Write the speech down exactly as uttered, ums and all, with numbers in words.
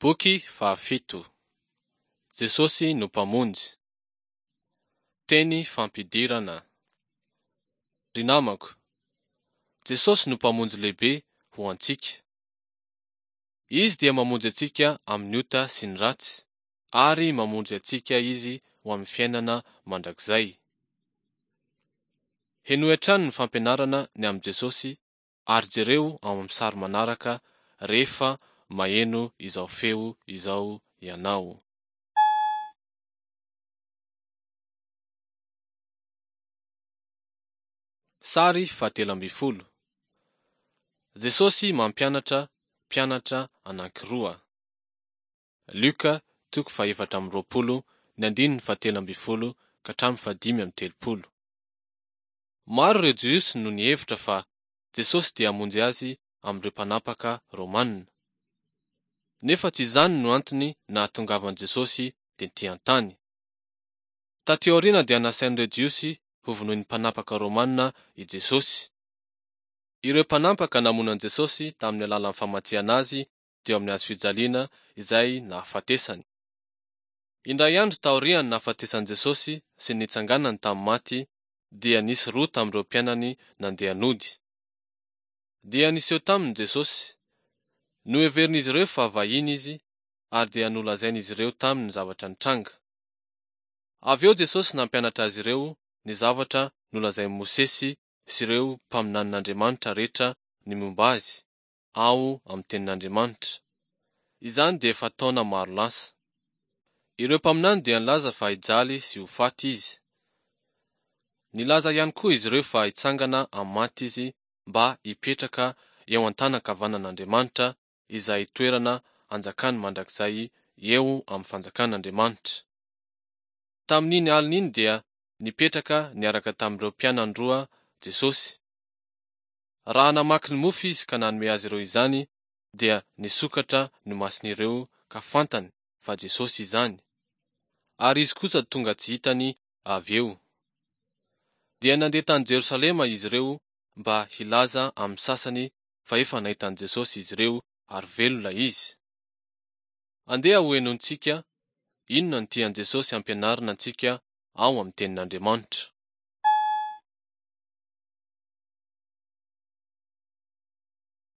Boky fahafito. Jesosy no Mpamonjy. Teny fampidirana. Ry namako, Jesosy no Mpamonjy lehibe ho antsika. Izy dia mamonjy antsika amin'ny ota sy ny ratsy, ary mamonjy antsika Izy ho amin'ny fiainana mandrakizay. Henoy hatrany ny fampianarana ny amin'i Jesosy ary jereo ao amin'ny sary manaraka rehefa maheno izao feo izao ianao. Sary fahatelo ambin'ny folo. Jesosy mampianatra mpianatra anankiroa. Lioka toko fahefatra amby roapolo ny andininy fahatelo ambin'ny folo ka hatramin'ny fahadimy amby telopolo. Maro ireo Jiosy no nihevitra fa Jesosy dia hamonjy azy amin'ireo mpanapaka Romana. Nefa tsy izany no antony nahatongavan'i Jesosy tety an-tany. Taty aoriana dia nasain'ireo Jiosy hovonoin'ny mpanapaka Romana i Jesosy. Ireo mpanapaka namono an'i Jesosy tamin'ny alalan'ny famatsihana azy teo amin'ny hazo fijaliana izay nahafatesany. Indray andro taorian'ny nahafatesan'i Jesosy sy ny nitsanganany tamin'ny maty dia nisy roa tamin'ireo mpianany nandeha nody. Dia niseho taminy Jesosy. Noheverin'izy ireo fa vahiny izy ary dia nolazain'izy ireo taminy ny zavatra nitranga. Avy eo Jesosy nampianatra azy ireo ny zavatra nolazain'i Mosesy sy ireo mpaminanin'Andriamanitra rehetra ny momba azy ao amin'ny tenin'Andriamanitra. Izany dia efa taona maro lasa. Ireo mpaminany dia nilaza fa hijaly sy ho faty izy. Nilaza ihany koa izy ireo fa hitsangana amin'ny maty izy mba hipetraka eo an-tanan-kavanan'Andriamanitra izay toerana anjakany mandrakizay eo amin'ny fanjakan'Andriamanitra. Tamin'iny alina iny dia nipetraka niaraka tamin'ireo mpianany roa Jesosy. Raha namaky ny mofo izy ka nanome azy ireo izany dia nisokatra ny mason'ireo ka fantany fa Jesosy izany. Ary izy kosa tonga tsy hitany avy eo. Dia nandeha tany Jerosalema izy ireo mba hilaza amin'ny sasany fa efa nahita an'i Jesosy izy ireo ary velona izy. Andeha ho henointsika inona no tian'i Jesosy hampianarina antsika ao amin'ny tenin'Andriamanitra.